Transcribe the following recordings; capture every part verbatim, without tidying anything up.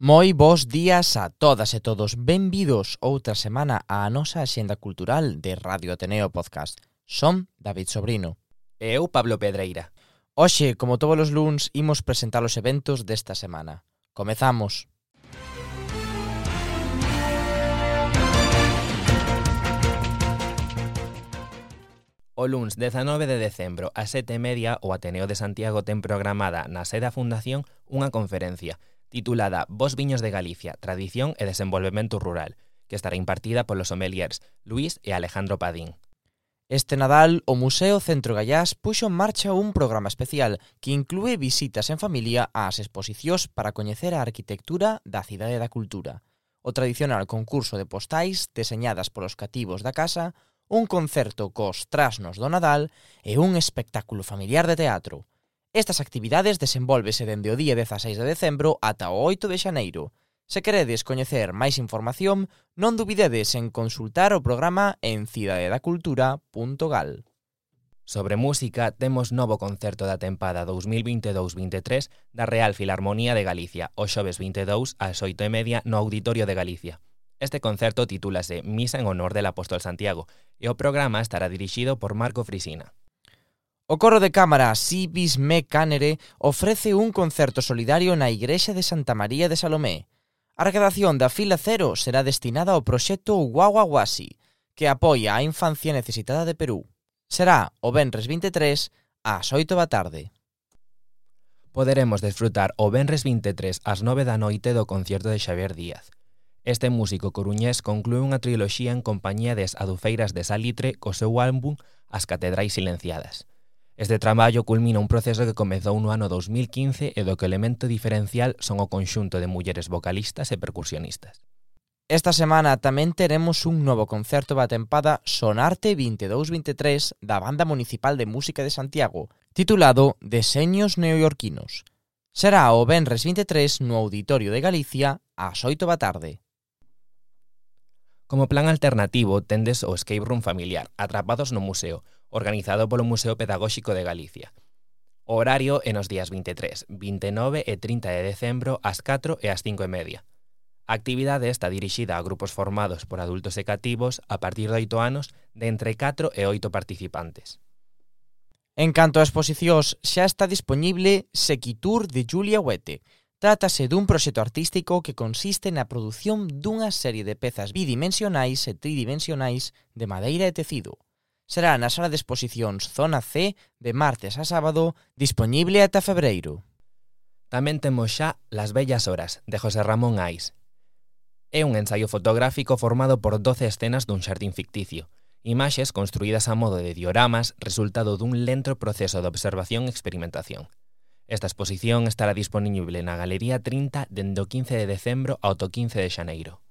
Moi bos días a todas e todos. Benvidos outra semana á nosa axenda cultural de Radio Ateneo Podcast. Son David Sobrino. E eu, Pablo Pedreira. Hoxe, como todos os luns, imos presentar os eventos desta semana. Comezamos. O luns dezanove de decembro a sete e media o Ateneo de Santiago ten programada na sede da Fundación unha conferencia titulada Bos viños de Galicia, tradición e desenvolvemento rural, que estará impartida polos sommeliers Luís e Alejandro Padín. Este Nadal, o Museo Centro Gallás puxo en marcha un programa especial que inclúe visitas en familia ás exposicións para coñecer a arquitectura da Cidade da Cultura, o tradicional concurso de postais deseñadas polos cativos da casa, un concerto cos trasnos do Nadal e un espectáculo familiar de teatro. Estas actividades desenvólvese dende o día dezaseis de decembro ata o oito de xaneiro. Se queredes coñecer máis información, non dubidedes en consultar o programa en cidade da cultura punto gal. Sobre música, temos novo concerto da tempada dos mil veintidous veintitrés da Real Filarmonía de Galicia, o xoves vinte e dous ás oito e media no Auditorio de Galicia. Este concerto titúlase Misa en honor del Apóstol Santiago e o programa estará dirixido por Marco Frisina. O coro de cámara Sibis Me Cánere ofrece un concerto solidario na Igrexa de Santa María de Salomé. A recadación da fila cero será destinada ao proxecto Guaguaguasi, que apoia a infancia necesitada de Perú. Será o venres vinte e tres ás oito da tarde. Poderemos desfrutar o venres vinte e tres ás nove da noite do concerto de Xavier Díaz. Este músico coruñés conclúe unha triloxía en compañía des Adufeiras de Salitre co seu álbum As Catedrais Silenciadas. Este traballo culmina un proceso que comezou no ano dos mil quince e do que o elemento diferencial son o conxunto de mulleres vocalistas e percusionistas. Esta semana tamén teremos un novo concerto da tempada Sonarte vinte e dous vinte e tres da Banda Municipal de Música de Santiago, titulado Deseños Neoyorquinos. Será o venres vinte e tres no Auditorio de Galicia ás oito da tarde. Como plan alternativo tendes o Escape Room familiar Atrapados no Museo, organizado polo Museo Pedagóxico de Galicia. O horario é nos días vinte e tres, vinte e nove e trinta de decembro ás catro e ás cinco e media. A actividade está dirixida a grupos formados por adultos e cativos a partir de oito anos de entre catro e oito participantes. En canto a exposicións, xa está dispoñible Sequitur de Julia Huete. Trátase dun proxecto artístico que consiste na produción dunha serie de pezas bidimensionais e tridimensionais de madeira e tecido. Será na sala de exposicións Zona C de martes a sábado, dispoñible ata febreiro. Tamén temos xa Las Bellas Horas, de José Ramón Ais. É un ensaio fotográfico formado por doce escenas dun xardín ficticio, imaxes construídas a modo de dioramas, resultado dun lento proceso de observación e experimentación. Esta exposición estará dispoñible na Galería trinta dende o quince de decembro ao quince de xaneiro.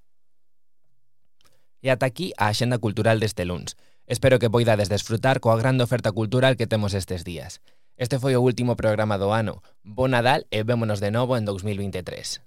E ata aquí a axenda cultural deste luns. Espero que poidades desfrutar coa grande oferta cultural que temos estes días. Este foi o último programa do ano. Bo Nadal e vémonos de novo en dous mil vinte e tres.